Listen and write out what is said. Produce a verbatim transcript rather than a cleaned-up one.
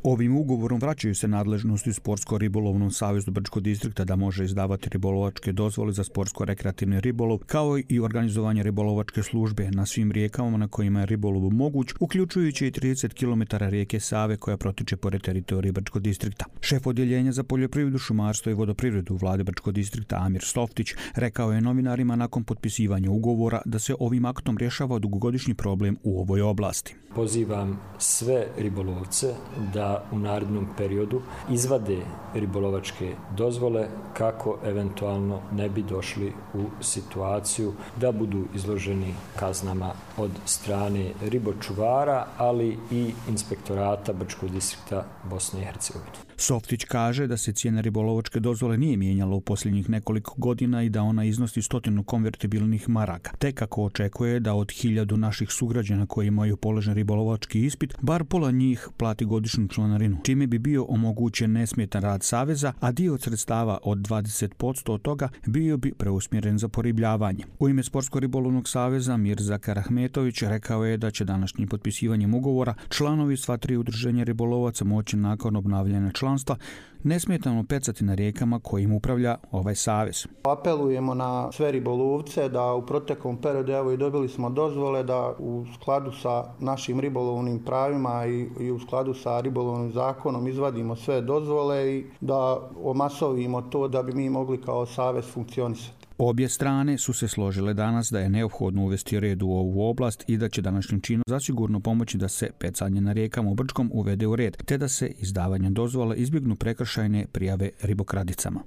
Ovim ugovorom vraćaju se nadležnosti Sportsko-ribolovnom savezu Brčkog distrikta da može izdavati ribolovačke dozvole za sportsko-rekreativni ribolov, kao i organizovanje ribolovačke službe na svim rijekama na kojima je ribolov moguć, uključujući i trideset kilometara rijeke Save koja protiče pored teritorije Brčkog distrikta. Šef odjeljenja za poljoprivredu, šumarstvo i vodoprivredu u vladi Brčkog distrikta Amir Softić rekao je novinarima nakon potpisivanja ugovora da se ovim aktom rješava dugogodišnji problem u ovoj oblasti. Pozivam sve ribolovce da u narednom periodu izvade ribolovačke dozvole kako eventualno ne bi došli u situaciju da budu izloženi kaznama od strane ribočuvara, ali i inspektorata Brčkog distrikta Bosne i Hercegovine. Softić kaže da se cijena ribolovačke dozvole nije mijenjala u posljednjih nekoliko godina i da ona iznosi stotinu konvertibilnih maraka. Te kako očekuje da od hiljadu naših sugrađana koji imaju položen ribolovački ispit, bar pola njih plati godišnju članarinu, čime bi bio omogućen nesmetan rad saveza, a dio od sredstava od dvadeset posto od toga bio bi preusmjeren za poribljavanje. U ime Sportsko-ribolovnog saveza Mirza Karahmetović rekao je da će današnjim potpisivanjem ugovora članovi sva tri udruženja ribolovaca moći nakon obnavljanja članstva nesmetano pecati na rijekama kojim upravlja ovaj savez. Apelujemo na sve ribolovce da u proteklom periodu, evo i dobili smo dozvole, da u skladu sa našim ribolovnim pravima i, i u skladu sa ribolovnim zakonom izvadimo sve dozvole i da omasovimo to da bi mi mogli kao savez funkcionisati. Obje strane su se složile danas da je neophodno uvesti red u ovu oblast i da će današnjim činom zasigurno pomoći da se pecanje na rijekama u Brčkom uvede u red, te da se izdavanje dozvola izbjegnu prekršajne prijave ribokradicama.